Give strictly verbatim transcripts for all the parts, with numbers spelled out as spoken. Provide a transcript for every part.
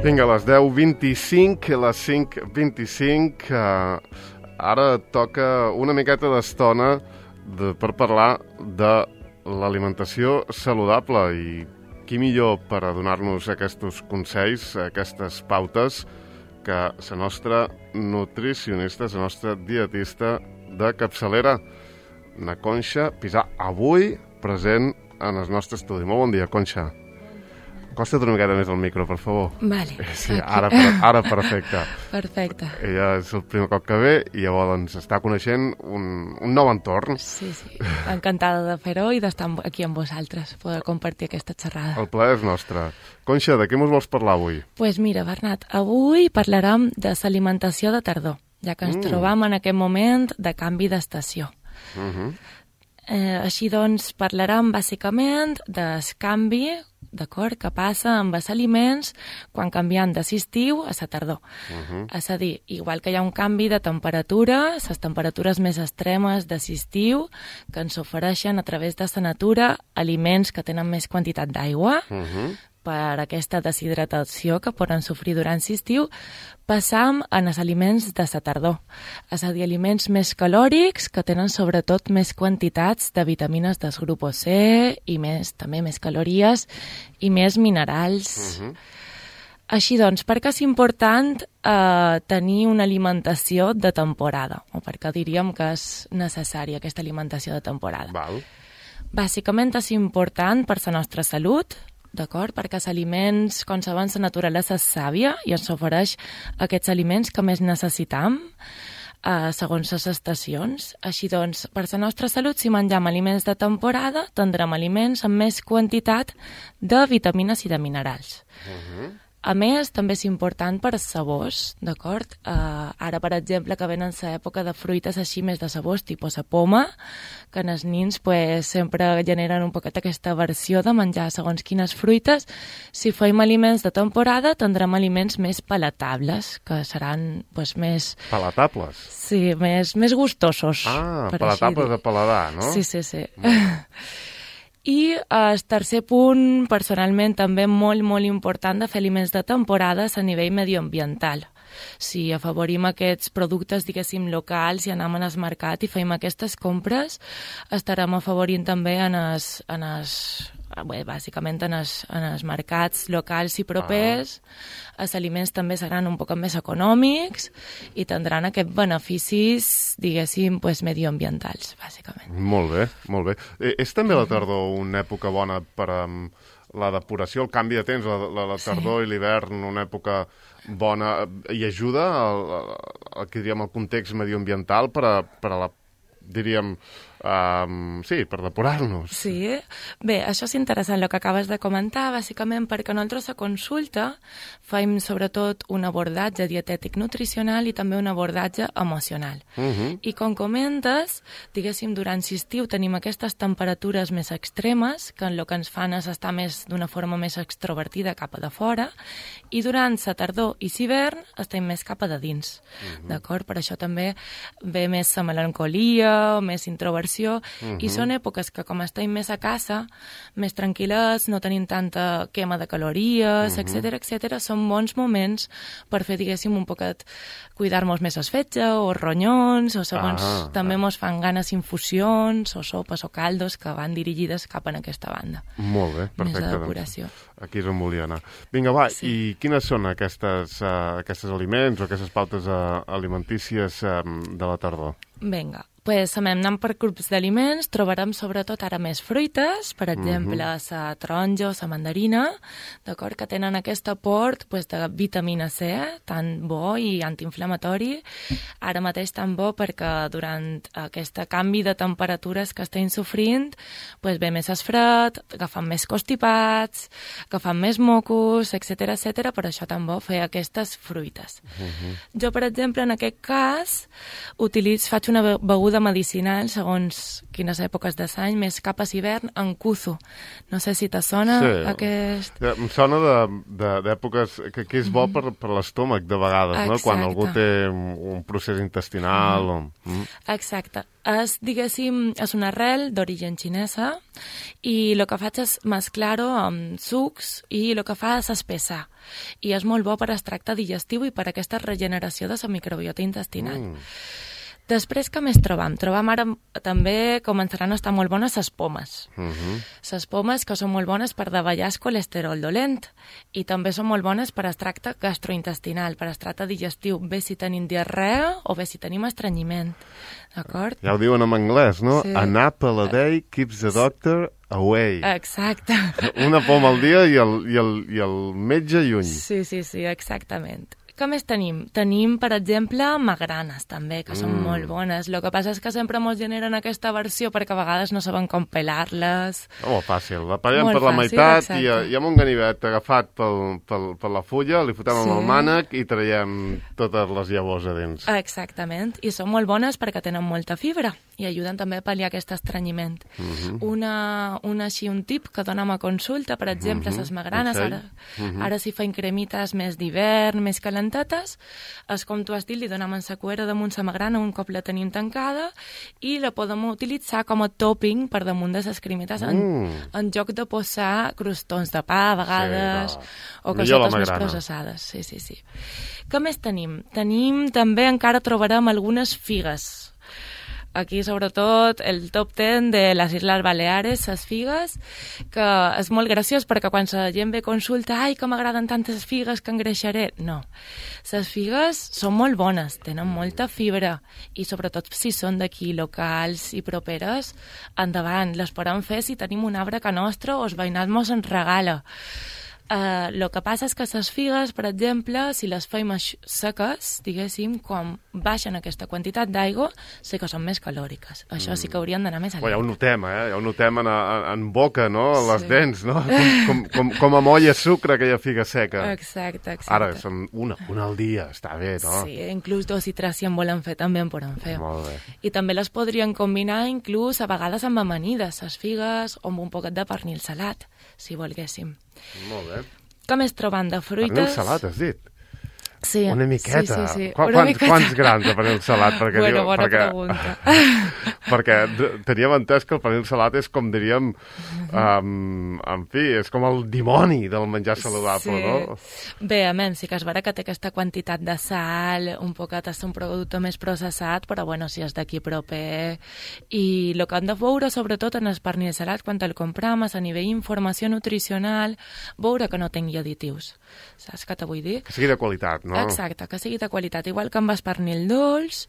Vinga, a les deu vint-i-cinc, a les cinc vint-i-cinc, eh, ara toca una miqueta d'estona de, per parlar de l'alimentació saludable i qui millor per a donar-nos aquests consells, aquestes pautes, que la nostra nutricionista, la nostra dietista de capçalera, na Conxa Pisà, avui present en el nostre estudi. Molt bon dia, Conxa. Acosta't una miqueta més al micro, per favor. Vale. Sí, ara, ara perfecte. Perfecte. Ella és el primer cop que ve i llavors ens està coneixent un, un nou entorn. Sí, sí. Encantada de fer-ho i d'estar aquí amb vosaltres, poder compartir aquesta xerrada. El plaer és nostre. Conxa, de què mos vols parlar avui? Doncs pues mira, Bernat, avui parlarem de l'alimentació de tardor, ja que ens mm. trobam en aquest moment de canvi d'estació. Uh -huh. eh, així doncs, parlarem bàsicament del canvi, d'acord, que passa amb els aliments quan canviem de l'estiu a la tardor. Uh -huh. És a dir, igual que hi ha un canvi de temperatura, les temperatures més extremes de l'estiu, que ens ofereixen a través de la natura aliments que tenen més quantitat d'aigua, uh -huh. per aquesta deshidratació que poden sofrir durant l'estiu, passam en els aliments de la tardor. És a dir, aliments més calòrics que tenen sobretot més quantitats de vitamines del grup C i més, també més calories i més minerals. Uh-huh. Així doncs, per què és important eh, tenir una alimentació de temporada? O per què diríem que és necessària aquesta alimentació de temporada? Val. Bàsicament és important per la nostra salut, d'acord? Perquè els aliments, com sabem, la naturalesa és sàvia i ens ofereix aquests aliments que més necessitam eh, segons les estacions. Així doncs, per la nostra salut, si mengem aliments de temporada, tindrem aliments amb més quantitat de vitamines i de minerals. Uh-huh. A més, també és important per als sabors, d'acord? Uh, ara, per exemple, que venen l'època de fruites així més de sabors, tipus la poma, que en els nins pues, sempre generen un poquet aquesta versió de menjar segons quines fruites. Si fem aliments de temporada, tindrem aliments més palatables, que seran pues, més... Palatables? Sí, més, més gustosos. Ah, palatables de paladar, no? Sí, sí, sí. Mm. I el tercer punt, personalment, també molt, molt important de fer aliments de temporada és a nivell medioambiental. Si afavorim aquests productes, diguéssim, locals i anem al mercat i fem aquestes compres, estarem afavorint també en els, en els, bé, bàsicament en els, en els mercats locals i propers. Ah. Els aliments també seran un poc més econòmics i tindran aquests beneficis, diguéssim, pues, medioambientals, bàsicament. Molt bé, molt bé. Eh, és també la tardor una època bona per a um, la depuració, el canvi de temps, la, la, la tardor sí. i l'hivern, una època bona, i ajuda al, al, que diríem, el context medioambiental per a, per a la, diríem, um, sí, per depurar-nos. Sí. Bé, això és interessant el que acabes de comentar, bàsicament perquè nosaltres a consulta fem sobretot un abordatge dietètic nutricional i també un abordatge emocional. Uh-huh. I com comentes, diguéssim, durant l'estiu tenim aquestes temperatures més extremes que en el que ens fan és estar més d'una forma més extrovertida cap a de fora i durant la tardor i l'hivern estem més cap a de dins. Uh-huh. D'acord? Per això també ve més la melancolia, més introversió, uh-huh. i són èpoques que com estem més a casa, més tranquil·les, no tenim tanta quema de calories, uh-huh. etcètera, etcètera, són bons moments per fer, diguéssim, un poquet cuidar-nos més els fetge o ronyons, o segons ah, també ah. mos fan ganes infusions o sopes o caldos que van dirigides cap en aquesta banda. Molt bé, perfecte. Més de depuració. Doncs, aquí és on volia anar. Vinga, va, sí. I quines són aquestes, uh, aquestes aliments o aquestes pautes uh, alimentícies um, de la tardor? Vinga. Pues, anant per grups d'aliments, trobarem sobretot ara més fruites, per exemple, la uh-huh. taronja o la mandarina, d'acord, que tenen aquest aport pues, de vitamina C, tan bo i antiinflamatori, ara mateix tan bo perquè durant aquest canvi de temperatures que estem sofrint, pues, ve més esfred, agafant més constipats, agafant més mocos, etcètera, etcètera, per això tan bo fer aquestes fruites. Uh-huh. Jo, per exemple, en aquest cas, utilitzo, faig una beguda beguda medicinal, segons quines èpoques de l'any, més cap a l'hivern, en cuzo. No sé si te sona sí. aquest... Em sona d'èpoques que, que és bo mm. per, per l'estómac, de vegades, no? Quan algú té un procés intestinal. Mm. O... Mm. Exacte. És, diguéssim, és una arrel d'origen xinesa i el que faig és mesclar-ho amb sucs i el que fa és espessar. I és molt bo per extracte digestiu i per aquesta regeneració de la microbiota intestinal. Mm. Després, què més trobam? Trobam ara també començaran a estar molt bones les pomes. Uh -huh. Les pomes que són molt bones per davallar el colesterol dolent i també són molt bones per extracte gastrointestinal, per extracte digestiu, bé si tenim diarrea o bé si tenim estrenyiment. D'acord? Ja ho diuen en anglès, no? Sí. An apple a day keeps the doctor away. Exacte. Una poma al dia i el, i el, i el metge lluny. Sí, sí, sí, exactament. Què més tenim? Tenim, per exemple, magranes, també, que mm. són molt bones. El que passa és que sempre ens generen aquesta versió perquè a vegades no saben com pelar-les. Oh, fàcil. La pallem per la fàcil, meitat exacte. i, i amb un ganivet agafat pel, pel, per la fulla, li fotem sí. amb el mànec i traiem totes les llavors a dins. Exactament. I són molt bones perquè tenen molta fibra i ajuden també a pal·liar aquest estrenyiment. Mm -hmm. una, una així, un tip que donem a consulta, per exemple, mm -hmm. les magranes, okay. ara, mm -hmm. ara s'hi fa cremites més d'hivern, més calentes, és com tu has dit, li donem en la cuera damunt la magrana un cop la tenim tancada i la podem utilitzar com a topping per damunt de les cremetes en, mm. en lloc de posar crostons de pa a vegades sí, no. o cosetes més processades. Sí, sí, sí. Què més tenim? Tenim també, encara trobarem algunes figues. Aquí, sobretot, el top ten de les Isles Baleares, les figues, que és molt graciós perquè quan la gent ve a consulta, ai, que m'agraden tantes figues que engreixaré. No. Les figues són molt bones, tenen molta fibra i, sobretot, si són d'aquí, locals i properes, endavant. Les podem fer si tenim un arbre que nostre o el veïnat mos en regala. El uh, que passa és que les figues, per exemple, si les fem seques, diguéssim, quan baixen aquesta quantitat d'aigua, sí que són més calòriques. Això mm. sí que haurien d'anar més a oh, ja ho notem, eh? Ja ho notem en, en, en boca, no? A les sí. dents, no? Com, com, com a molla sucre, aquella figa seca. Exacte, exacte. Ara, són una, una al dia, està bé, no? Sí, inclús dos i tres si en volen fer, també en poden fer. Molt bé. I també les podrien combinar, inclús, a vegades amb amanides, les figues, o amb un poquet de pernil salat, si volguéssim. Molt bé. Què més trobant de fruites? Pernil salat, has dit? Sí. Una miqueta. Sí, sí, sí. Qu Una quants, miqueta. quants grans de pernil salat? Perquè bueno, diu, bona perquè, pregunta. perquè teníem entès que el pernil salat és com diríem, um, en fi, és com el dimoni del menjar saludable, sí. no? Bé, a menys, sí que és vera que té aquesta quantitat de sal, un poquet és un producte més processat, però bueno, si és d'aquí proper. I el que hem de veure, sobretot en el pernil salat, quan el compram, és a nivell d'informació nutricional, veure que no tingui additius. Saps què te vull dir? Que sigui de qualitat, no? Exacte, que sigui de qualitat. Igual que amb el pernil dolç,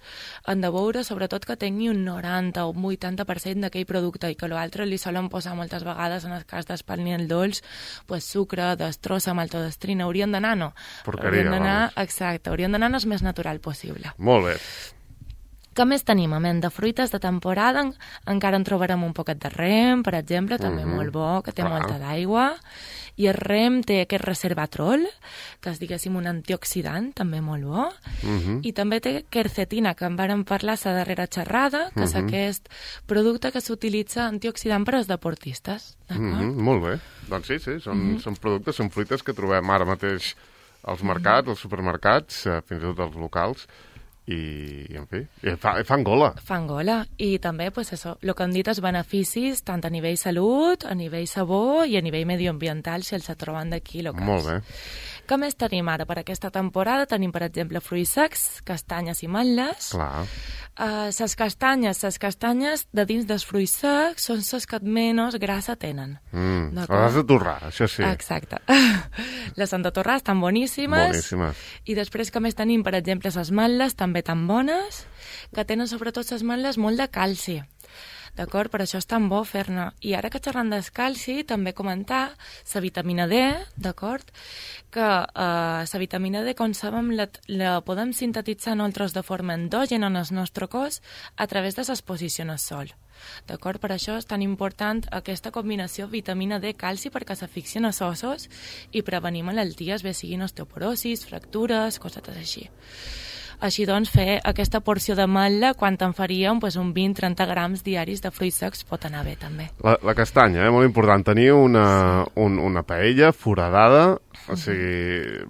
han de veure sobretot que tingui un noranta o un vuitanta per cent d'aquell producte i que l'altre li solen posar moltes vegades, en el cas del pernil dolç, pues, sucre, destrossa, maltodestrina. Haurien d'anar, no. Porqueria, haurien d'anar, vamos. exacte, haurien d'anar el més natural possible. Molt bé. Què més tenim? A menys de fruites de temporada, en, encara en trobarem un poquet de rem, per exemple, també uh -huh. molt bo, que té Clar. molta d'aigua. I el rem té aquest resveratrol, que és, diguéssim, un antioxidant, també molt bo. Uh -huh. I també té quercetina, que en vàrem parlar la darrera xerrada, que uh -huh. és aquest producte que s'utilitza antioxidant per als deportistes. D'acord? Uh -huh. Molt bé. Doncs sí, sí, són, uh -huh. són productes, són fruites que trobem ara mateix als mercats, uh -huh. als supermercats, fins i tot als locals, i, en fi, fa, fan gola. Fan gola. I també, pues això, el que han dit, els beneficis, tant a nivell salut, a nivell sabor i a nivell medioambiental, si els troben d'aquí locals. Molt bé. Què més tenim ara per aquesta temporada? Tenim, per exemple, fruits secs, castanyes i ametlles. Clar. Uh, les castanyes, les castanyes de dins dels fruits secs són les que menys grassa tenen. Mm, les has de torrar, això sí. Exacte. Les han de torrar, estan boníssimes. Boníssimes. I després que més tenim, per exemple, les ametlles, també tan bones, que tenen sobretot les ametlles molt de calci. D'acord? Per això és tan bo fer-ne. I ara que xerrant del calci, també comentar la vitamina D, d'acord? Que eh, la vitamina D, com sabem, la, la podem sintetitzar nosaltres de forma endògena en el nostre cos a través de l'exposició al sol. D'acord? Per això és tan important aquesta combinació vitamina D-calci perquè s'afixien als ossos i prevenim malalties, bé siguin osteoporosis, fractures, cosetes així. Així doncs, fer aquesta porció d'ametlla, quan te'n faríem pues, un vint a trenta grams diaris de fruits secs pot anar bé, també. La, la castanya, eh? Molt important. Tenir una, un, una paella foradada, o sigui,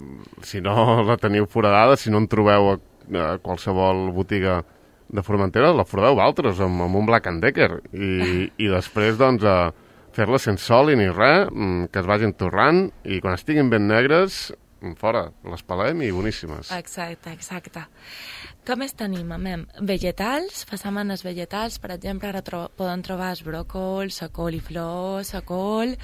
si no la teniu foradada, si no en trobeu a, a qualsevol botiga de Formentera, la foradeu vosaltres amb, amb un Black and Decker i, i després, doncs, a fer-la sense oli ni res, que es vagin torrant i quan estiguin ben negres, fora, les pelem i boníssimes. Exacte, exacte. Què més tenim, amem? Vegetals, façanes vegetals, per exemple, ara tro poden trobar els bròcols, la coliflor, la col,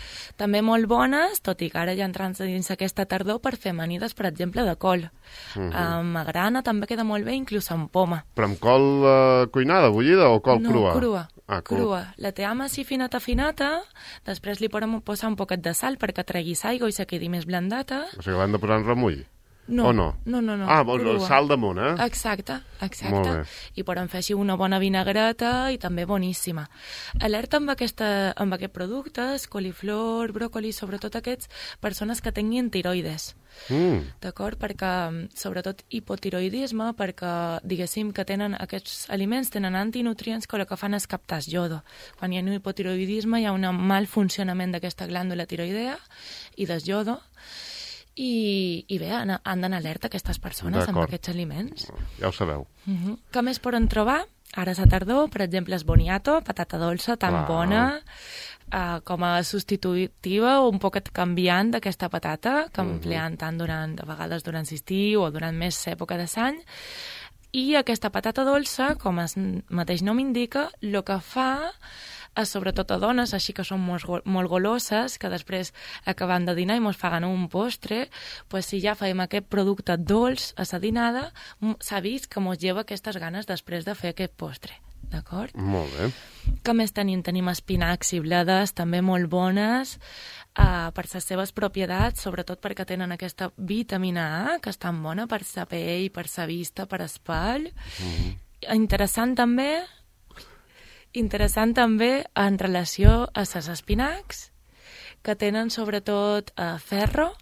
també molt bones, tot i que ara ja entrant dins aquesta tardor per fer amanides, per exemple, de col. Uh -huh. Amb agrana també queda molt bé, inclús amb poma. Però amb col uh, cuinada, bullida o col no, crua? No, crua. Ah, crua. La team així finata finata, després li podem posar un poquet de sal perquè tregui aigua i se quedi més blandata. O sigui, l'hem de posar en remull? No, o no? No, no, no. Ah, vols sal damunt, eh? Exacte, exacte. I podem fer així una bona vinagreta i també boníssima. Alerta amb, aquesta, amb aquest productes, coliflor, bròcoli, sobretot aquests, persones que tinguin tiroides. Mm. D'acord? Perquè, sobretot hipotiroidisme, perquè, diguéssim, que tenen aquests aliments, tenen antinutrients que el que fan és captar iodo. Quan hi ha un hipotiroidisme hi ha un mal funcionament d'aquesta glàndula tiroidea i del iodo. I, i bé, han, han d'anar alerta aquestes persones amb aquests aliments. Ja ho sabeu. Uh -huh. Què més poden trobar? Ara és a tardor, per exemple, es boniato, patata dolça, tan wow. bona, uh, com a substitutiva o un poquet canviant d'aquesta patata, que uh -huh. empleant tant durant, a vegades durant l'estiu o durant més època de l'any. I aquesta patata dolça, com el mateix nom indica, el que fa sobretot a dones, així que són molt, molt goloses, que després acabant de dinar i mos paguen un postre, pues si ja fem aquest producte dolç a la dinada, s'ha vist que mos lleva aquestes ganes després de fer aquest postre. D'acord? Molt bé. Què més tenim? Tenim espinacs i bledes, també molt bones, uh, per les seves propietats, sobretot perquè tenen aquesta vitamina A, que és tan bona per la pell, per la vista, per l'espall. Mm-hmm. Interessant també... Interessant també en relació a les espinacs, que tenen sobretot eh, ferro.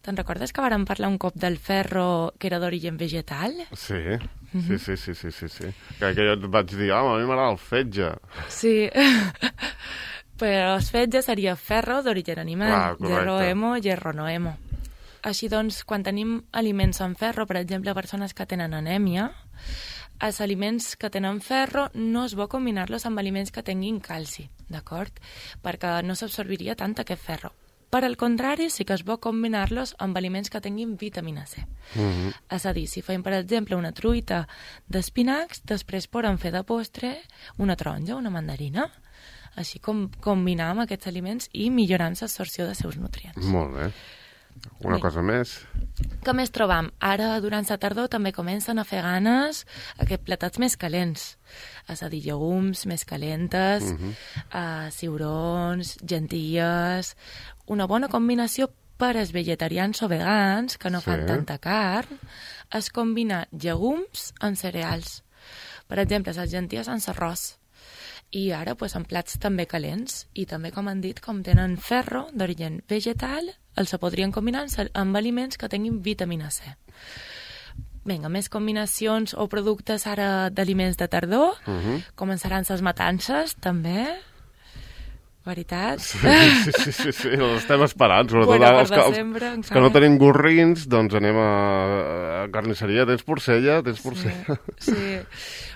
Te'n recordes que vàrem parlar un cop del ferro que era d'origen vegetal? Sí, sí, sí, sí, sí, sí, sí. Que, que jo et vaig dir, home, a mi m'agrada el fetge. Sí, però el fetge seria ferro d'origen animal, ah, hierro hemo, hierro no hemo. Així doncs, quan tenim aliments amb ferro, per exemple, persones que tenen anèmia, els aliments que tenen ferro no és bo combinar-los amb aliments que tinguin calci, d'acord? Perquè no s'absorbiria tant aquest ferro. Per al contrari, sí que és bo combinar-los amb aliments que tinguin vitamina C. Mm-hmm. És a dir, si fem, per exemple, una truita d'espinacs, després podem fer de postre una taronja, una mandarina, així com combinar amb aquests aliments i millorant l'absorció dels seus nutrients. Molt bé. Una cosa més. Què més trobam? Ara, durant la tardor, també comencen a fer ganes aquests platats més calents. És a dir, llegums més calentes, uh-huh. uh, ciurons, gentilles... Una bona combinació per als vegetarians o vegans, que no sí. fan tanta carn, és combinar llegums amb cereals. Per exemple, les gentilles amb arròs. I ara, pues, en plats també calents. I també, com han dit, com tenen ferro d'origen vegetal, els se podrien combinar amb aliments que tinguin vitamina C. Vinga, més combinacions o productes ara d'aliments de tardor. Uh-huh. Començaran les matances, també. Veritat? Sí, sí, sí, sí, sí. Els estem esperant. Sobretot bueno, els, que, els, els que no tenim gorrins, doncs anem a, a carnisseria. Tens porcella? Tens porcella? Sí, sí.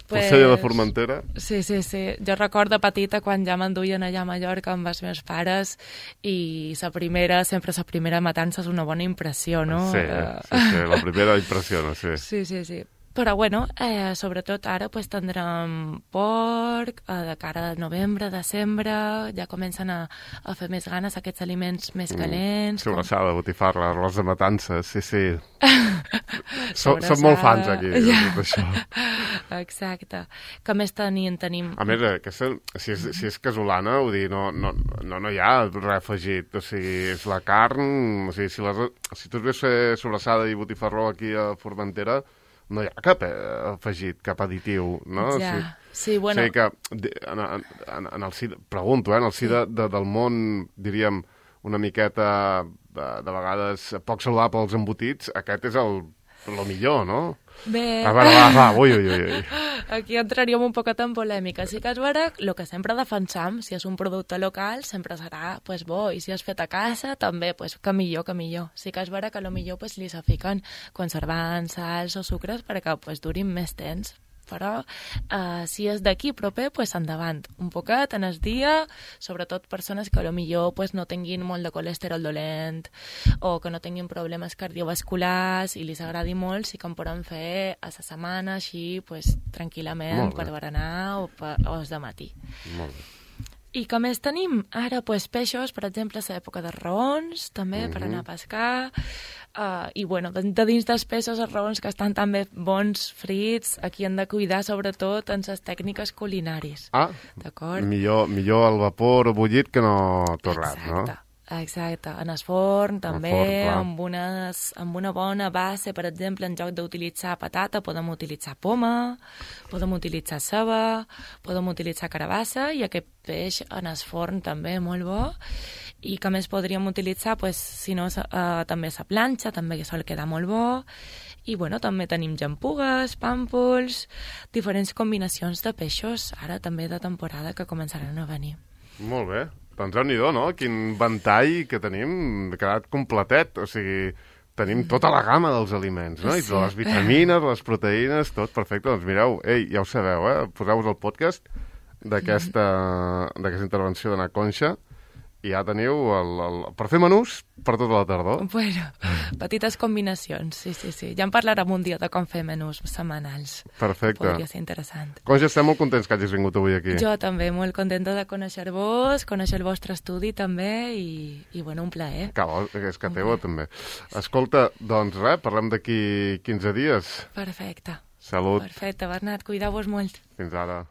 Porcella pues, de Formentera? Sí, sí, sí. Jo recordo petita quan ja m'enduien allà a Mallorca amb els meus pares i la primera, sempre la primera matança és una bona impressió, no? Sí, sí, sí, la primera impressió, no? Sí, sí, sí. sí. Però, bueno, eh, sobretot ara pues, tindrem porc, eh, de cara a novembre, desembre, ja comencen a, a fer més ganes aquests aliments més calents. Mm, sobrassada, com... botifarra, arròs de matança, sí, sí. Som molt fans aquí, ja. De tot això. Exacte. Què més tenim? tenim... A més, aquesta, si, és, si és casolana, vull dir, no, no, no, no hi ha res afegit. O sigui, és la carn... O sigui, si, les, si tu ves fer sobrassada i botifarró aquí a Formentera, no hi ha cap afegit, cap additiu, no? Ja, o sigui, sí, bueno... O sigui que, en, en, en el si, pregunto, eh, en el si sí. de, de, del món, diríem, una miqueta, de, de vegades, poc saludable als embotits, aquest és el lo millor, no? Bé... A veure, va, va, ui, ui, ui. Aquí entraríem un poquet en polèmica. Sí que és vera, el que sempre defensam, si és un producte local, sempre serà pues, bo, i si és fet a casa, també, pues, que millor, que millor. Sí que és vera que potser pues, li s'afiquen conservants, sals o sucres perquè pues, durin més temps. Però eh, si és d'aquí proper, pues, endavant. Un poquet en el dia, sobretot persones que potser pues, no tinguin molt de colesterol dolent o que no tinguin problemes cardiovasculars i li s'agradi molt, sí que en poden fer a la setmana, així, pues, tranquil·lament, per berenar o, per, o de matí. Molt bé. I què més tenim? Ara, pues, peixos, per exemple, a l'època de raons, també, uh-huh. per anar a pescar. Uh, I, bueno, de, de dins dels peixos, els raons que estan també bons, frits, aquí hem de cuidar, sobretot, en les tècniques culinaris. Ah, d'acord? Millor, millor al vapor o bullit que no torrat, no? Exacte. Exacte, en el forn també, forn, amb, unes, amb una bona base, per exemple, en lloc d'utilitzar patata, podem utilitzar poma, podem utilitzar ceba, podem utilitzar carabassa, i aquest peix en el forn també molt bo. I que més podríem utilitzar, pues, si no, eh, també la planxa, també que sol quedar molt bo. I bueno, també tenim llampugues, pàmpols, diferents combinacions de peixos, ara també de temporada que començaran a venir. Molt bé. Doncs déu-n'hi-do, no? Quin ventall que tenim, ha quedat completet, o sigui, tenim tota la gamma dels aliments, no? Sí. I de les vitamines, les proteïnes, tot perfecte. Doncs mireu, ei, ja ho sabeu, eh? Poseu-vos el podcast d'aquesta d'aquesta intervenció d'Anna Conxa i ja teniu el, el, per fer menús per tota la tardor. Bueno, petites combinacions, sí, sí, sí. Ja en parlarem un dia de com fer menús setmanals. Perfecte. Podria ser interessant. Conxa, estem molt contents que hagis vingut avui aquí. Jo també, molt contenta de conèixer-vos, conèixer el vostre estudi també i, i bueno, un plaer. Que bo, és que teva també. Escolta, doncs res, parlem d'aquí quinze dies. Perfecte. Salut. Perfecte, Bernat, cuideu-vos molt. Fins ara.